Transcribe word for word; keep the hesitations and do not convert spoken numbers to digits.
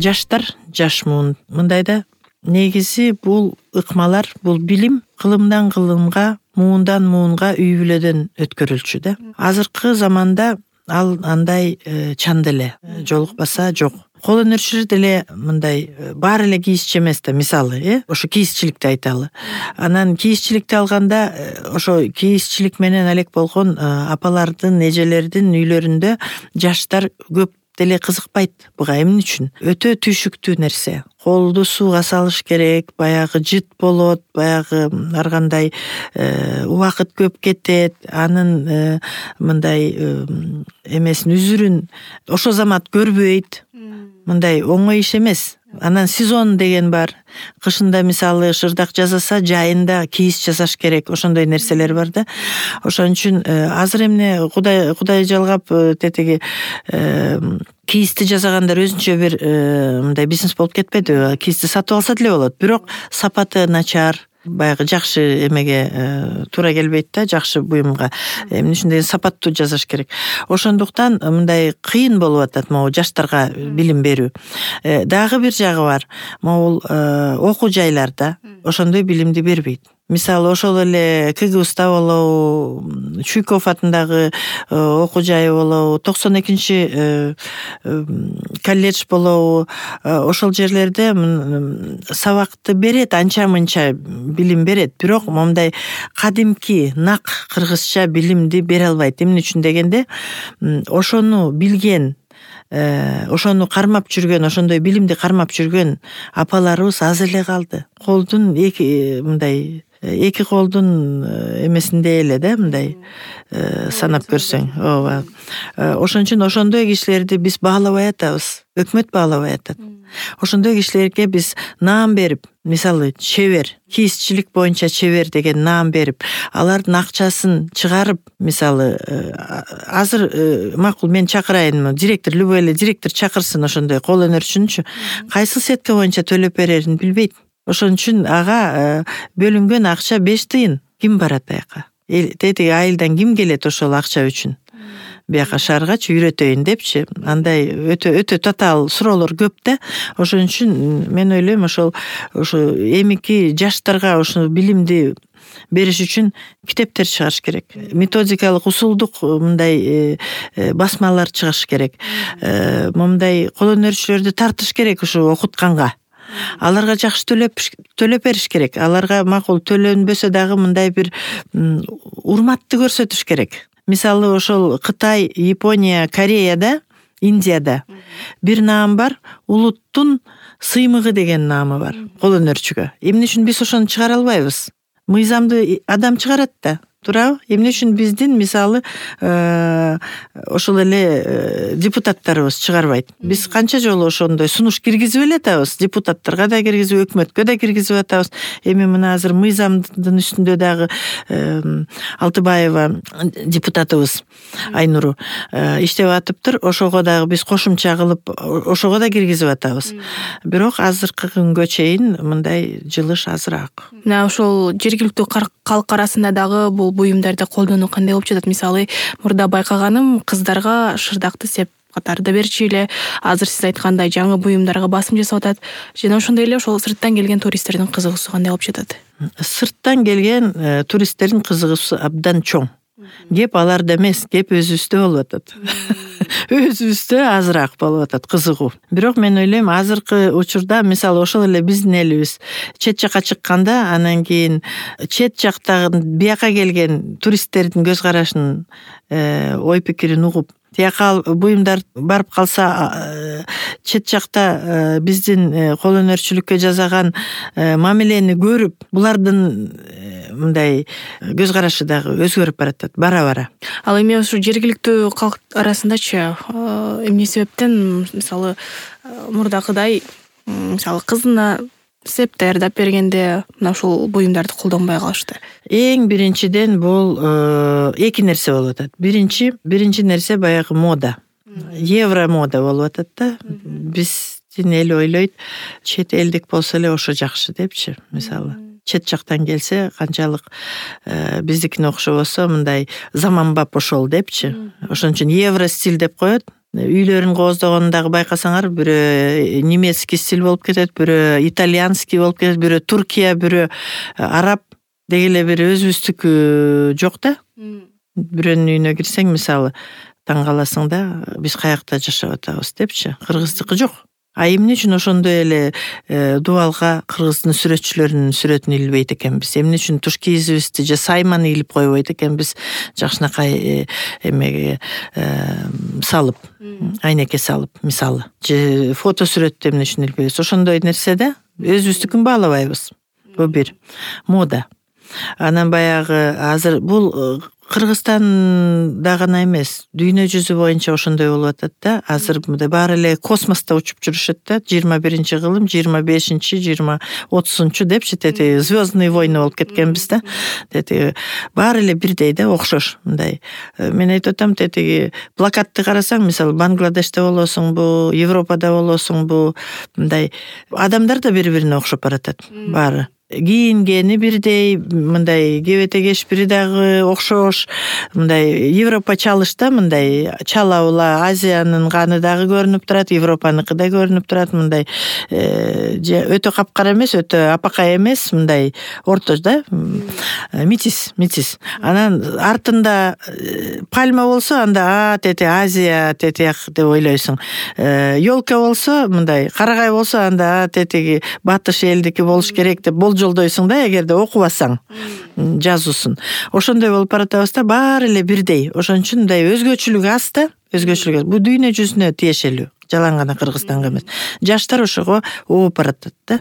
жаштар, жаш муун мындайда негизи бул ыкмалар, бул билим кылымдан кылымга, муундан муунга үй бүлөдөн өткөрүлчү да. Азыркы заманда ал андай чанда эле жолукпаса жок. Кол өнөрчүлөр деле мындай баары эле кийизчи эмес да, мисалы, э ошо кийизчиликти айталы. Анан кийизчиликти алганда ошо кийизчилик менен алек болгон апалардын, эжелердин үйлөрүндө жаштар көп деле кызыкпайт буга. Эмне үчүн? Өтө түйшүктүү нерсе. Колду сууга салыш керек, баягы жыт болот, баягы ар кандай убакыт көп кетет, анын мындай эмесин, үзүрүн ошо замат көрбөйт. Мындай оңой иш эмес. Анан сезон деген бар. Кышында мисалы шырдак жасаса, жайында кийиз жасаш керек. Ошондой нерселер бар да. Ошон үчүн азыр эмне Кудай Кудай жалгап тетеги кийизди жасагандар өзүнчө бир мындай бизнес болуп кетпедиби? Кийизди сатып алса деле болот, бирок сапаты начар, баягы жакшы эмеге туура келбейт да, жакшы буюмга. Эмне үчүн деген сапаттуу жасаш керек. Ошондуктан мындай кыйын болуп атат могу жаштарга билим берүү. Дагы бир жагы бар. Могул окуу жайларда ошондой билимди бербейт. Мисалы ошол эле КГУста болобу, Чуйков атындагы окуу жайы болобу, токсон экинчи колледж болобу, ошол жерлерде сабакты берет, анча-мынча билим берет, бирок момундай кадимки нак кыргызча билимди бере албайт. Эмне үчүн дегенде, ошону билген, ошону кармап жүргөн, ошондой билимди кармап жүргөн апаларыбыз аз эле калды. Колдун эки мындай эки колдун эмесинде эле да, мындай санап көрсөң. Ооба. Ошон үчүн ошондой кишилерди биз баалабай атабыз. Өкмөт баалабай атат. Ошондой кишилерге биз наам берип, мисалы чебер, кийизчилик боюнча чебер деген наам берип, алардын акчасын чыгарып, мисалы азыр макул мен чакырайынмы, директор, любой эле директор чакырсын ошондой кол өнөрчүнчү, кайсы сетка боюнча төлөп берерин билбейт. Ошон үчүн ага бөлүнгөн акча беш тыйын. Ким барат аяка? Тетиги айылдан ким келет ошол акча үчүн? Бияка шааргачы үйрөтөйүн депчи. Андай өтө өтө татаал суроолор көп да. Ошон үчүн мен ойлойм, ошол ошо эмики жаштарга ошо билимди бериш үчүн китептер чыгарыш керек. Методикалык, усулдук мындай басмалар чыгарыш керек. Момундай кол өнөрчүлөрдү тартыш керек ушу окутканга. Аларга жакшы төлөп төлөп бериш керек. Аларга макул төлөнбөсө дагы мындай бир урматты көрсөтүш керек. Мисалы ошол Кытай, Япония, Кореяда, Индияда бир наам бар, улуттун сыймыгы деген наамы бар кол өнөрчүгө. Эмне үчүн биз ошону чыгара албайбыз? Мыйзамды адам чыгарат да. Туурабы? Эмне үчүн биздин мисалы ошол эле депутаттарыбыз чыгарбайт? Биз канча жолу ошондой сунуш киргизип эле атабыз, депутаттарга да киргизип, өкмөткө да киргизип атабыз. Эми мына азыр мыйзамдын үстүндө дагы Алтыбаева депутатыбыз Айнуру иштеп атыптыр. Ошого дагы биз кошумча кылып, ошого да киргизип атабыз. Бирок азыркы күнгө чейин мындай жылыш азыраак. Мына ошол жергиликтүү калк арасында дагы бул буюмдарды колдонуу кандай болуп жатат? Мисалы, мурда байкаганым, кыздарга шырдакты сеп катарды берчү эле. Азыр сиз айткандай жаңы буюмдарга басым жасап атат. Жана ошондой эле ошол сырттан келген туристтердин кызыгуусу кандай болуп жатат? Сырттан келген туристтердин кызыгуусу абдан чоң. Кеп аларда эмес, кеп өзүбүздө болуп атат. Өзүбүздө азыраак болуп атат кызыгуу. Бирок мен ойлойм, азыркы учурда мисалы ошол эле биздин элибиз чет жакка чыкканда, анан кийин чет жактагы бияка келген туристтердин көз карашын, ой пикирин угуп, тияка буюмдар барып калса, чет жакта биздин кол өнөрчүлүккө жасаган мамилени көрүп, булардын мындай көз карашы дагы өзгөрүп баратат бара-бара. Ал эми ушу жергиликтүү калк арасындачы эмне себептен, мисалы, мурдакыдай, мисалы, кызына сеп даярдап бергенде мына ушул буюмдарды колдонбой калышты? Эң биринчиден бул эки нерсе болуп атат. Биринчи, биринчи нерсе баягы мода. Евро мода болуп атат да. Биздин эл ойлойт, чет элдик болсо эле ошо жакшы депчи, мисалы. Чет жактан келсе, канчалык биздикине окшобосо мындай заманбап ошол депчи. Ошон үчүн евро стиль деп коет. үйлөрүн кооздогонун дагы байкасаңар, бирөө немецкий стиль болуп кетет, бирөө итальянский болуп кетет, бирөө Туркия, бирөө араб деги эле бир өзүбүздүкү жок да. Бирөөнүн үйүнө кирсең, мисалы, таң каласың да, биз каякта жашап атабыз депчи. Кыргыздыкы жок. А эмне үчүн ошондой эле дубалга кыргыздын сүрөтчүлөрүнүн сүрөтүн илбейт экенбиз? Эмне үчүн туш кийизибизди же сайманы илип койбойт экенбиз? Жакшынакай эмеге салып, айнекке салып, мисалы. Же фото сүрөттү эмне үчүн илбейбиз? Ошондой нерсе да, өзүбүздүкүн баалабайбыз. Бул бир мода. Анан баягы азыр бул Кыргызстанда гана эмес, дүйнө жүзү боюнча ошондой болуп атат да. Азыр мындай баары эле космоста учуп жүрүшөт да. жыйырма биринчи кылым, жыйырма бешинчи, жыйырма отузунчу депчи, тети звездные войны болуп кеткенбиз да. Тети баары эле бирдей да, окшош мындай. Мен айтып атам, тети плакатты карасаң, мисалы, Бангладеште болосуңбу, Европада болосуңбу, мындай адамдар да бири-бирине окшоп баратат баары. Кийингени бирдей, мындай кебете кешпири дагы окшош, мындай Европа чалыш да, мындай чала ула Азиянын каны дагы көрүнүп турат, Европаныкы да көрүнүп турат, мындай же өтө капкара эмес, өтө апакай эмес, мындай орто да, метис, метис. Анан артында пальма болсо, анда а тети Азия, тети деп ойлойсуң. Ёлка болсо, мындай карагай болсо, анда а тети батыш элдики болуш керек деп жолдойсуң да, эгерде окубасаң жазуусун. Ошондой болуп баратабыз да, баары эле бирдей. Ошон үчүн мындай өзгөчөлүк аз да, өзгөчөлүк аз. Бул дүйнө жүзүнө тиешелүү, жалаң гана Кыргызстанга эмес. Жаштар ошого ооп баратат да.